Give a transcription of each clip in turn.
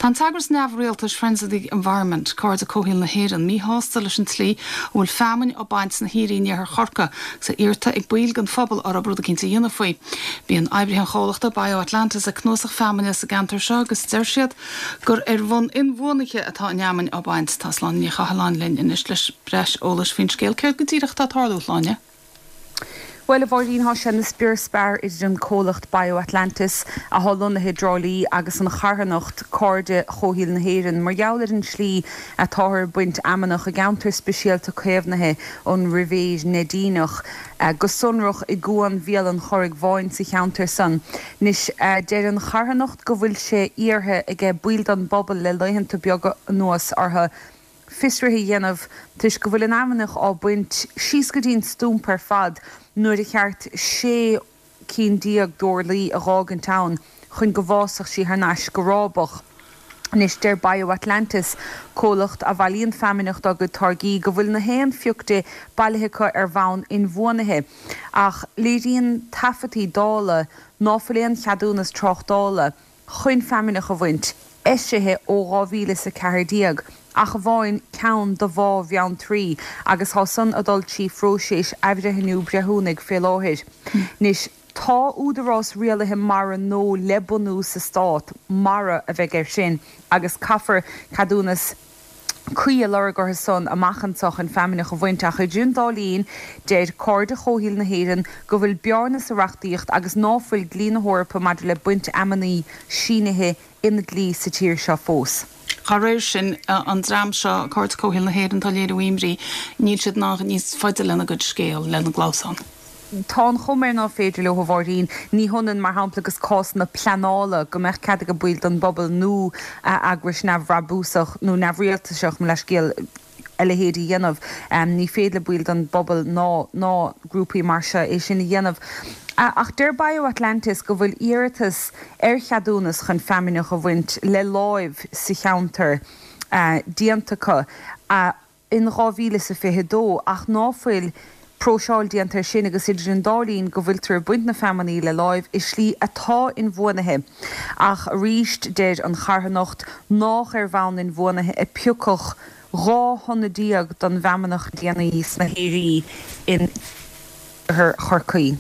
Tá an t-eagras neamhrialtais Friends of the Environment, Cairde Comhshaoil na hÉireann, míshásta leis an tslí a bhfuil feamainn á baint sna haoirí in iarthar Chorcaí agus é iarrta ag baill den phobal orthu rud eicínt a dhéanamh faoi. Bíonn oibrithe an chomhlachta BioAtlantis ag cnuasach feamainne sa gceantar seo agus deir siad gur ar bhonn inbhuanaithe atá an fheamainn á baint. Tá Sláine Ní Chathalláin linn anois le breis eolais faoin scéal. Céard go díreach atá ag tarlú, a Shláine? Bhuel, a Mháirín, thá sé ina spior spear idir an comhlacht BioAtlantis, athá lonnaithe i dTrá Lí, agus an charthanacht, Cairde Chomhshaoil na hÉireann, mar gheall ar an tslí atáthar ag baint fheamnach i gceantar speisialta caomhnaithe an Ribhéir Neidíneach, go sonrach i gCuan Bhéal an Churraigh Bháin sa cheantar san. Anois, deir an charthanacht go bhfuil sé iarrtha aige baill den bpobal le laethanta beaga anuas orthu fiosruithe a dhéanamh toisc go bhfuil an fheamnach á baint síos go dtí an stumpa ar fad nuair a cheart 16 cinn d'orlaí a dh'fhágaint ann chun go bhfásfadh sí thar n-ais go rábach. Anois deir BioAtlantis, comhlacht a bhailíonn feamainneach dá gcuid táirgí, go bhfuil na haon phioc di bailithe acu ar bhonn inbhuanaithe. Ach léiríonn taifeadtaí dála ná fuil aon cheadúnas tráchtála chun feamainneach a bhaint, eisithe ó 2014, ach amháin ceann do Bhá Bheanntraí, agus thá san a dul trí phróiseas athbhreithniú breithiúnaigh fé láthair. Anois, tá údarás rialaithe mara nua le bunú sa Stát, mara a bheidh air sin, agus caithfear ceadúnas cuí a lorg orthu san amach anso chun feamainneach a bhaint ach idir an dá linn deir Cairde Chomhshaoil na hÉireann go bhfuil bearna sa reachtaíocht agus ná fuil dlí na hEorpa maidir le baint fheamainní sínithe ina dhlí sa tír seo fós. Dá réir sin, an dream seo, Cairde Comhshaoil na hÉireann, atá ag léiriú imní, níl siad in ann níos faide lena gcuid scéal, lena gclamhsán. Tá an chuma air ná féidir leo, a Mháirín. Ní hionann, mar shampla, agus cásanna pleanála, go mbeadh cead ag baill den bpobal nó eagrais neamhbhrabúsach nó neamhrialtasach, mo leithscéal, a leithéid a dhéanamh. Ní féidir le baill den bpobal ná ná grúpaí mar seo é sin a dhéanamh. Ach deir BioAtlantis go bhfuil iarratas ar cheadúnas chun feamainneach a bhaint le láimh sa cheantar déanta acu. in 2022 ach ná fuil próiseáil déanta air sin agus idir an dá linn go bhfuiltear ag baint na feamainní le láimh i slí atá inbhuanaithe. Ach arís deir an charthanacht nách ar bhonn inbhuanaithe a piocadh 12 thonna den bhfeamainneach le déanaí sna haoirí in iarthar Chorcaí.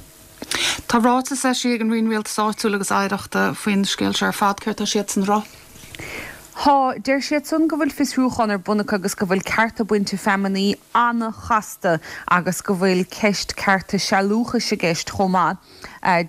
Tá ráiteas eisithe ag an Roinn Rialtais Áitiúil agus Oidhreachta faoin scéal seo ar fad. Céard tá siadsan a rá? Tá. Deir siadsan go bhfuil fiosrúchán ar bun acu agus go bhfuil cearta bainte feamainní an-chasta agus go bhfuil ceist cearta sealúchais i gceist chomh maith.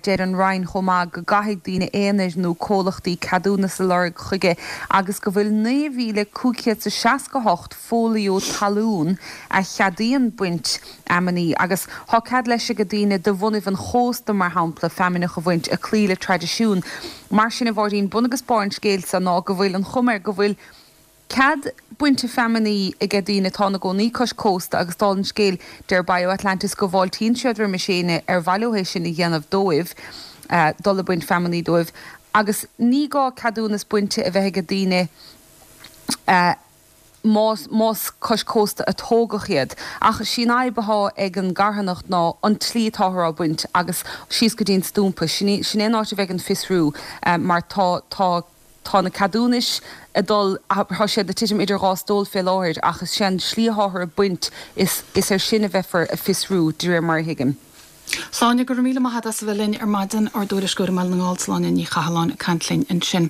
Deir an Roinn chomh maith go gcaithfidh daoine aonair nó comhlachtaí ceadúnas a lorg chuige agus go bhfuil 9,568 fóilió talún a cheadaíonn baint fheamainní agus thá cead leis age daoine de bhunaibh an chósta, mar shampla, feamainneach a bhaint, ag cloí le traidisiún. Mar sin, a Mháirín, bun agus barr an scéil so ná go bhfuil an chuma air go bhfuil cead bainte feamainní age daoine atá ina gcónaí cois cósta agus dála an scéil, deir BioAtlantis go bhfáiltíonn siad roimis éinne ar mhaith leo é sin a dhéanamh dóibh, dul ag baint feamainní dóibh agus ní gá ceadúnas bainte a bheith age daoine a. más más cois cósta a tógadh iad. Ach sí an fhadhb athá ag an gcarthanacht ná an tslí atáthar á baint agus síos go dtí an stúmpa. Sin í, sin é an áit a bheidh an fiosrú mar tá, tá, tá na ceadúnais ag dul, tá siad ag titim idir dhá stól fé láthair ach is sé an slí atháthar ag baint is, is ar sin a bheifear ag fiosrú de réir mar a thuigim. Sláine, go raibh míle maith agat as a bheith linn ar maidin, ár dtuairisceoir i mBaile na nGall, Sláine Ní Chathalláin ag caint linn ansin.